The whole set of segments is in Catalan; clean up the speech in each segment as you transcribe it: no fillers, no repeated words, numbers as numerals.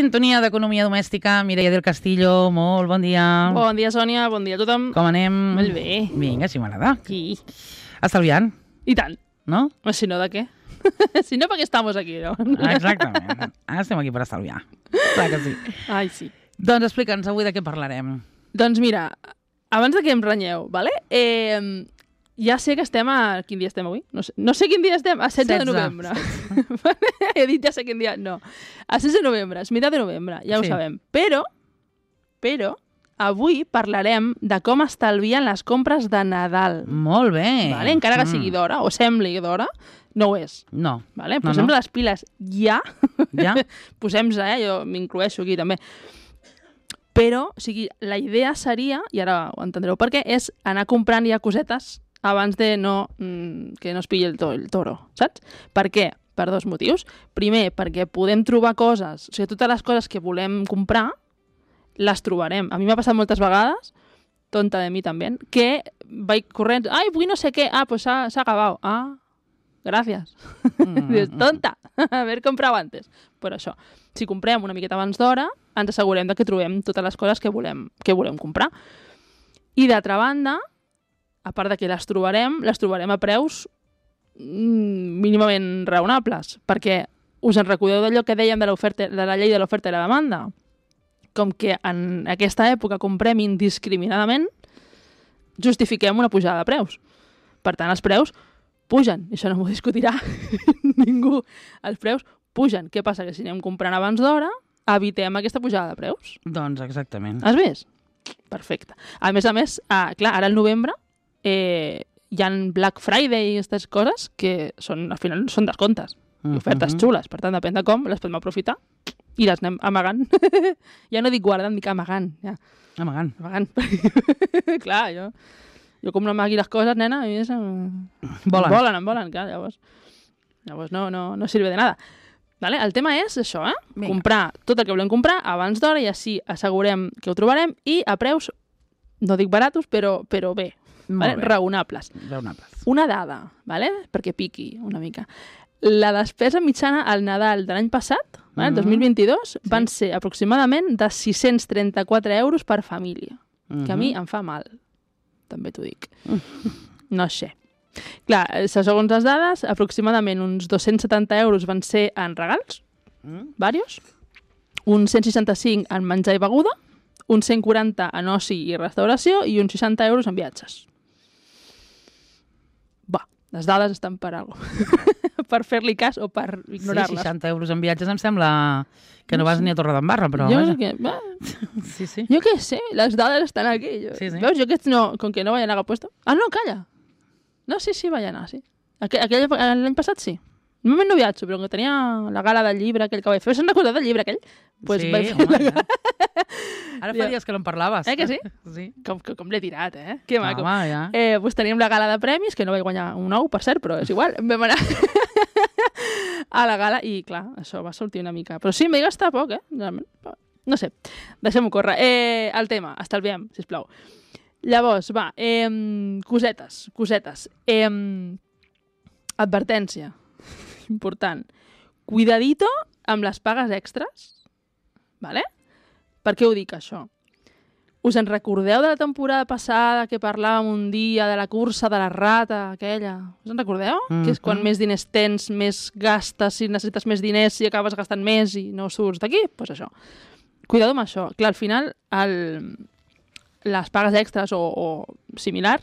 sintonia d'Economia Domèstica. Mireia del Castillo, molt bon dia. Bon dia, Sònia, bon dia a tothom. Com anem? Molt bé. Vinga, si m'agrada. Sí. Estalviant, I tant. no? Si no, de què? Si no, perquè estamos aquí, no? Exactament. Estem aquí per estalviar. Clar que sí. Ai, sí. Doncs explica'ns avui de què parlarem. Doncs mira, abans de que em renyeu, vale? Ja sé que estem a... Quin dia estem avui? No sé quin dia estem. A 16 de novembre. He dit ja sé quin dia. No. A 16 de novembre. És meitat de novembre. Ja ho sabem. Però, avui parlarem de com estalvien les compres de Nadal. Molt bé. Vale? Encara que sigui d'hora, o sembli d'hora, no ho és. No. Vale? Posem les piles ja. Ja? Posem-se, jo m'incloeixo aquí també. Però, o sigui, la idea seria, i ara ho entendreu per què, és anar comprant ja cosetes abans de que no es pilli el toro, saps? Per què? Per dos motius. Primer, perquè podem trobar coses, o sigui, totes les coses que volem comprar, les trobarem. A mi m'ha passat moltes vegades, tonta de mi també, que vaig corrent, ai, vull no sé què, pues s'ha acabat. Ah, gràcies. Dius, tonta, haver comprado antes. Per això, si comprem una miqueta abans d'hora, ens assegurem que trobem totes les coses que volem comprar. I d'altra banda, a part de que les trobarem a preus mínimament raonables, perquè us en recordeu d'allò que dèiem de la llei de l'oferta i la demanda? Com que en aquesta època comprem indiscriminadament, justifiquem una pujada de preus. Per tant, els preus pugen, i això no m'ho discutirà ningú. Els preus pugen. Què passa? Que si anem comprant abans d'hora, evitem aquesta pujada de preus. Doncs exactament. Has vist? Perfecte. A més, clar, ara al novembre hi ha Black Friday i aquestes coses que al final són descomptes i ofertes xules. Per tant, depèn de com, les podem aprofitar i les anem amagant. Ja no dic guardant, dic amagant. Ja. Amagant. Clar, jo com no amagui les coses, nena, a mi Volen. em volen, clar, llavors no sirve de nada. Vale? El tema és això, comprar tot el que volem comprar abans d'hora i així assegurem que ho trobarem i a preus, no dic baratos, però bé, vale? Raonables. Una dada, vale? Perquè piqui una mica. La despesa mitjana al Nadal de l'any passat, el 2022, van ser aproximadament de 634 euros per família, que a mi em fa mal, també t'ho dic. No sé. Clar, segons les dades, aproximadament uns 270 euros van ser en regals, varios, uns 165 en menjar i beguda, uns 140 en oci i restauració i uns 60 euros en viatges. Va, les dades estan per alguna cosa. Per fer-li cas o per ignorar-les. 60 euros en viatges em sembla que no vas ni a Torredembarra, però... Jo què sé, les dades estan aquí. Veus, jo aquests no, com que no vayan a haver puesto... Ah, no, calla! No, sí, vaig anar, sí. L'any passat sí. Normalment no viatjo, però que tenia la gala del llibre aquell que vaig fer. Se'n recorda del llibre aquell? Pues sí, vaig home, ja. Ara fa dies que no en parlaves. Que sí? Sí. Com l'he tirat, Que maco. Home, ja. Pues teníem la gala de premis, que no vaig guanyar un ou, per cert, però és igual. Vam anar a la gala i, clar, això va sortir una mica. Però sí, em vaig gastar poc, No sé, deixem-ho córrer. El tema, estalviem, sisplau. Llavors, va, cosetes. Advertència, important. Cuidadito amb les pagues extres, vale? Per què ho dic, això? Us en recordeu de la temporada passada que parlàvem un dia de la cursa de la rata, aquella? Us en recordeu? Que és quan més diners tens, més gastes, si necessites més diners, si acabes gastant més i no surts d'aquí? Doncs això. Cuidado amb això. Clar, al final, les pagues extres o similar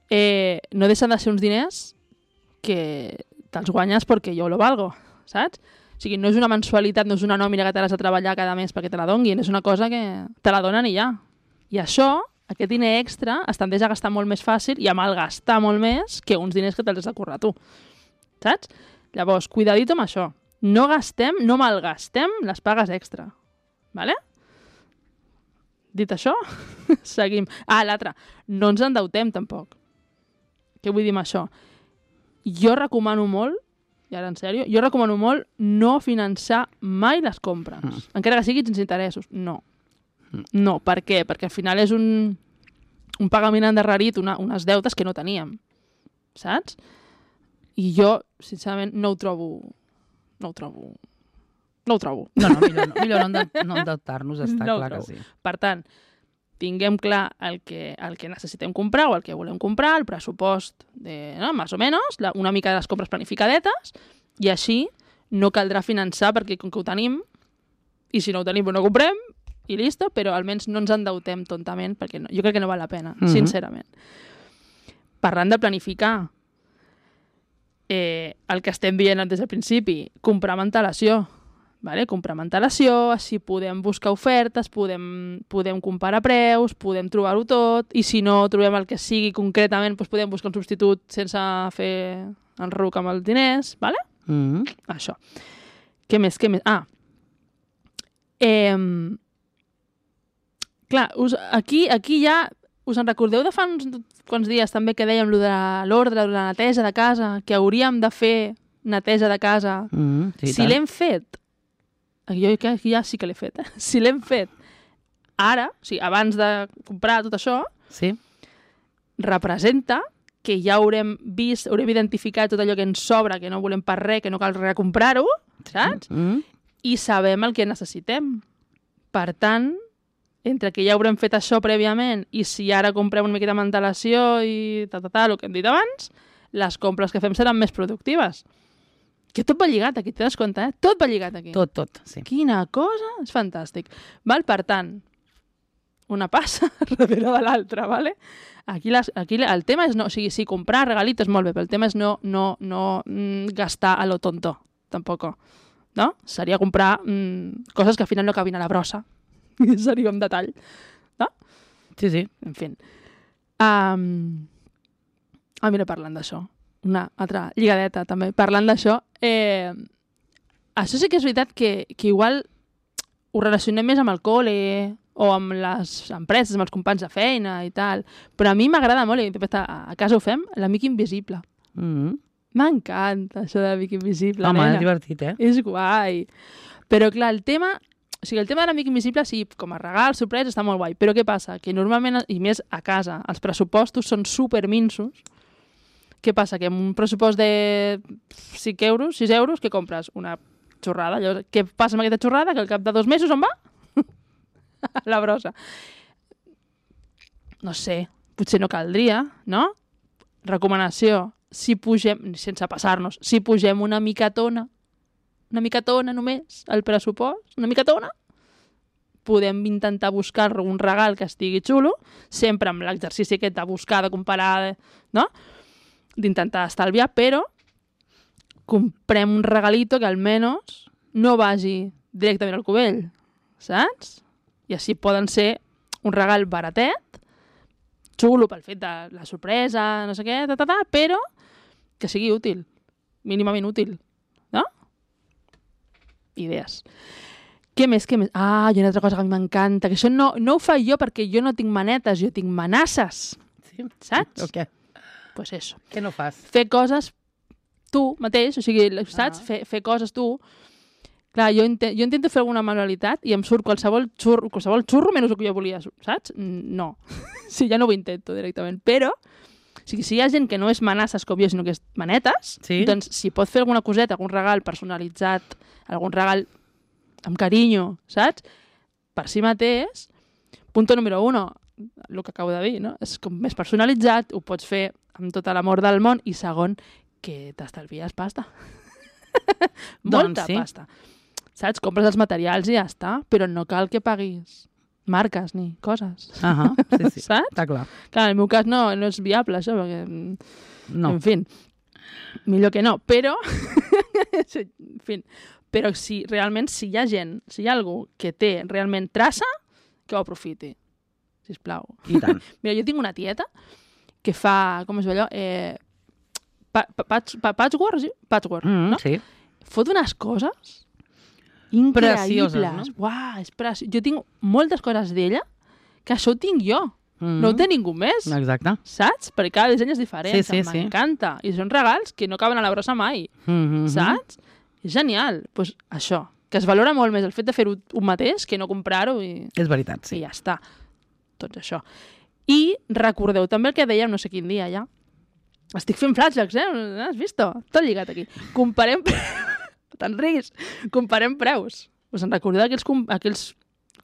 no deixen de ser uns diners que te'ls guanyes perquè jo lo valgo, saps? O sigui, no és una mensualitat, no és una nòmina que t'has de treballar cada mes perquè te la donguin, és una cosa que te la donen i ja. I això, aquest diner extra, es tendeix a gastar molt més fàcil i a malgastar molt més que uns diners que te'ls has de currar tu, saps? Llavors, cuidadito amb això. No malgastem les pagues extra, vale? Dit això, seguim. L'altre, no ens endeutem tampoc. Què vull dir amb això? Jo recomano molt, i ara en sèrio, no finançar mai les compres. Encara que siguin sense interessos. No. No, per què? Perquè al final és un pagament endarrerit, unes deutes que no teníem. Saps? I jo, sincerament, no ho trobo No ho trobo. No, millor no endeutar-nos, està No ho clar que trobo. sí. Per tant, tinguem clar el que necessitem comprar o el que volem comprar, el pressupost, més o menys, una mica de les compres planificadetes, i així no caldrà finançar perquè com que ho tenim, i si no ho tenim no ho comprem, i listo, però almenys no ens endeutem tontament, perquè jo crec que no val la pena, sincerament. Parlant de planificar, el que estem dient des del principi, comprar amb antelació. Vale? Comprar amb antelació, així podem buscar ofertes, podem comparar preus, podem trobar-ho tot, i si no trobem el que sigui concretament, doncs podem buscar un substitut sense fer enruc amb els diners, vale? Això. Què més? Clar, aquí ja us en recordeu de fa uns quants dies també que dèiem de l'ordre, de la neteja de casa, que hauríem de fer neteja de casa. Si l'hem fet, jo ja sí que l'he fet, si l'hem fet ara, o sigui, abans de comprar tot això, sí, representa que ja haurem identificat tot allò que ens sobra, que no volem per res, que no cal recomprar-ho, saps? I sabem el que necessitem. Per tant, entre que ja haurem fet això prèviament i si ara comprem una miqueta amb antelació i el que hem dit abans, les compres que fem seran més productives. Que tot va lligat aquí, t'has compte, Tot va lligat aquí. Tot, sí. Quina cosa! És fantàstic. Val? Per tant, una passa darrere de l'altra, ¿vale? Aquí el tema és no... O sigui, sí, comprar regalitos és molt bé, però el tema és no gastar a lo tonto, tampoc. No? Seria comprar coses que al final no cabin a la brossa. Seria un detall. No? Sí. En fi. Mira, parlant d'això. Una altra lligadeta, també. Parlant d'això, això sí que és veritat que igual ho relacionem més amb el col·le o amb les empreses, amb els companys de feina i tal, però a mi m'agrada molt, i a casa ho fem, l'amic invisible. M'encanta això de l'amic invisible. Home, és divertit, És guai. Però clar, el tema de l'amic invisible, sí, com a regal, sorpresa, està molt guai, però què passa? Que normalment, i més a casa, els pressupostos són superminsos. Què passa? Que amb un pressupost de 5 euros, 6 euros, què compres? Una xorrada. Llavors, què passa amb aquesta xorrada? Que al cap de 2 mesos on va? A la brossa. No sé, potser no caldria, no? Recomanació, si pugem, sense passar-nos, si pugem una micatona només, el pressupost, una micatona, podem intentar buscar un regal que estigui xulo, sempre amb l'exercici aquest de buscar, de comparar, no? D'intentar estalviar, però comprem un regalito que almenys no vagi directament al cubell, saps? I així poden ser un regal baratet, xulo pel fet de la sorpresa, no sé què, però que sigui útil, mínimament útil, no? Idees. Què més? Ah, hi ha una altra cosa que a mi m'encanta, que això no ho faig jo perquè jo no tinc manetes, jo tinc manasses, sí? Saps? O què? Pues eso. Què no fas? Fer coses tu mateix, o sigui, saps? Fer coses tu. Clar, jo intento fer alguna manualitat i em surt qualsevol xurro menys el que jo volia, saps? No. Sí, ja no ho intento directament. Però, o sigui, si hi ha gent que no és manasses com jo, sinó que és manetes, sí? Doncs si pot fer alguna coseta, algun regal personalitzat, algun regal amb carinyo, saps? Per si mateix, punto número 1, el que acabo de dir, no? És com més personalitzat, ho pots fer amb tot l'amor del món, i segon, que t'estalvies pasta. Molta pasta. Saps? Compres els materials i ja està, però no cal que paguis marques ni coses. Sí. Saps? Està clar. Clar, en el meu cas no és viable això, perquè... No. En fi, millor que no, però... en fi, però si realment, si hi ha gent, si hi ha algú que té realment traça, que ho aprofiti. Sisplau. I tant. Mira, jo tinc una tieta que fa, com es diu allò? Patchwork, no? Sí. Fot unes coses increïbles. Precioses, no? Uau, és preciós. Jo tinc moltes coses d'ella que això ho tinc jo. No ho té ningú més. Exacte. Saps? Perquè cada disseny és diferent. Sí. M'encanta. I són regals que no caben a la brossa mai. Saps? És genial. Doncs això, que es valora molt més el fet de fer-ho un mateix que no comprar-ho i... És veritat, sí. I ja està. Tot això. I recordeu també el que dèiem no sé quin dia ja. Estic fent flashbacks, Has vist? Tot lligat aquí. Comparem Te'n riguis. Comparem preus. Us en recordeu aquells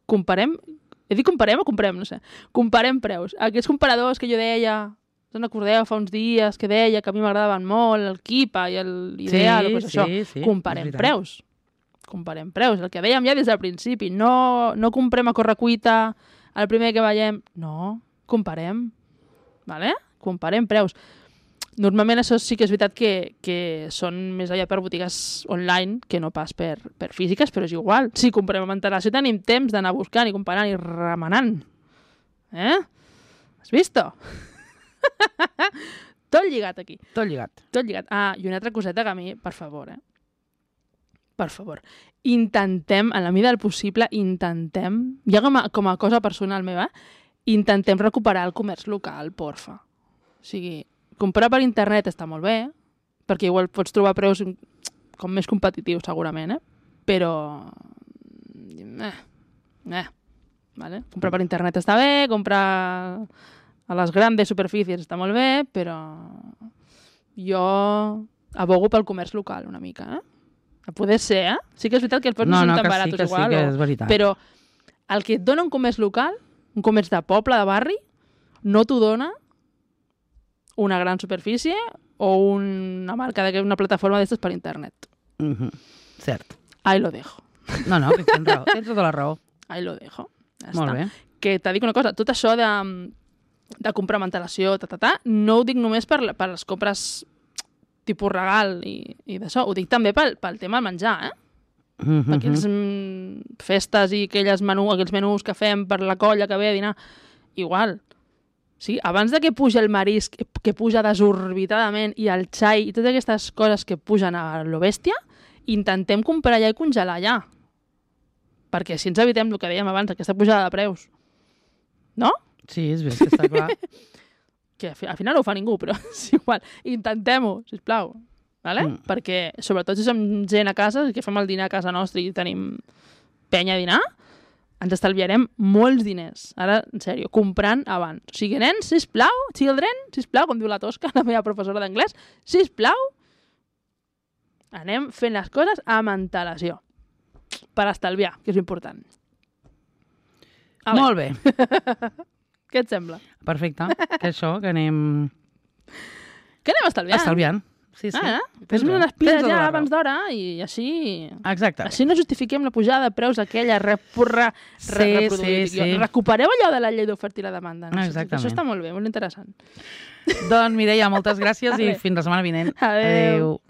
comparem... He dit comparem o comprem? No sé. Comparem preus. Aquells comparadors que jo deia... Us en recordeu fa uns dies que deia que a mi m'agradaven molt el Kipa i l'Ideal, doncs això. Sí, Comparem preus. Comparem preus. El que dèiem ja des del principi. No comprem a correcuita el primer que veiem. No, comparem. Vale? Comparem preus. Normalment això sí que és veritat que són més allà per botigues online que no pas per físiques, però és igual. Si comprem amb antelació tenim temps d'anar buscant i comparant i remenant. Has vist? Tot lligat aquí. Tot lligat. Tot lligat. Ah, i una altra coseta que a mi, per favor, per favor, intentem, en la mida del possible, ja com a cosa personal meva, intentem recuperar el comerç local, porfa. O sigui, comprar per internet està molt bé, perquè igual pots trobar preus com més competitius, segurament, però... Vale? Comprar per internet està bé, comprar a les grandes superfícies està molt bé, però jo abogo pel comerç local una mica, A poder ser, Sí que és veritat que els preus no són tan barats igual, sí que és veritat. Però el que et dona un comerç local, un comerç de poble, de barri, no t'ho dona una gran superfície o una marca, una plataforma d'estes per internet. Cert. Ahí lo dejo. No, que tens raó, tens tota la raó. Ahí lo dejo. Ja Molt està. bé. Que t'ha dit una cosa, tot això de comprar amb antelació, no ho dic només per les compres tipus regal i d'això, ho dic també pel tema del menjar, per aquelles festes i aquells menús que fem per la colla que ve a dinar, igual. Sí, abans de que puja el marisc, que puja desorbitadament, i el xai i totes aquestes coses que pugen a lo bèstia, intentem comprar allà i congelar allà. Perquè si ens evitem el que dèiem abans, aquesta pujada de preus. No? Sí, és bé, que està clar. Que al final no ho fa ningú, però és igual. Intentem-ho, sisplau. Vale? Perquè, sobretot si som gent a casa, que fem el dinar a casa nostra i tenim penya a dinar, ens estalviarem molts diners. Ara, en sèrio, comprant abans. O sigui, nens, sisplau, children, sisplau, com diu la Tosca, la meva professora d'anglès, sisplau, anem fent les coses amb antelació. Per estalviar, que és important. Molt bé. Què et sembla? Perfecte. Que això, que anem... Que anem estalviant. Estalviant. Sí. Fes-me unes piles ja abans d'hora i així... Exacte. Així no justifiquem la pujada de preus aquella reproduïda. Recupereu allò de la llei d'oferta i la demanda. No? Exactament. Això està molt bé, molt interessant. Doncs, Mireia, moltes gràcies i fins la setmana vinent. Adéu.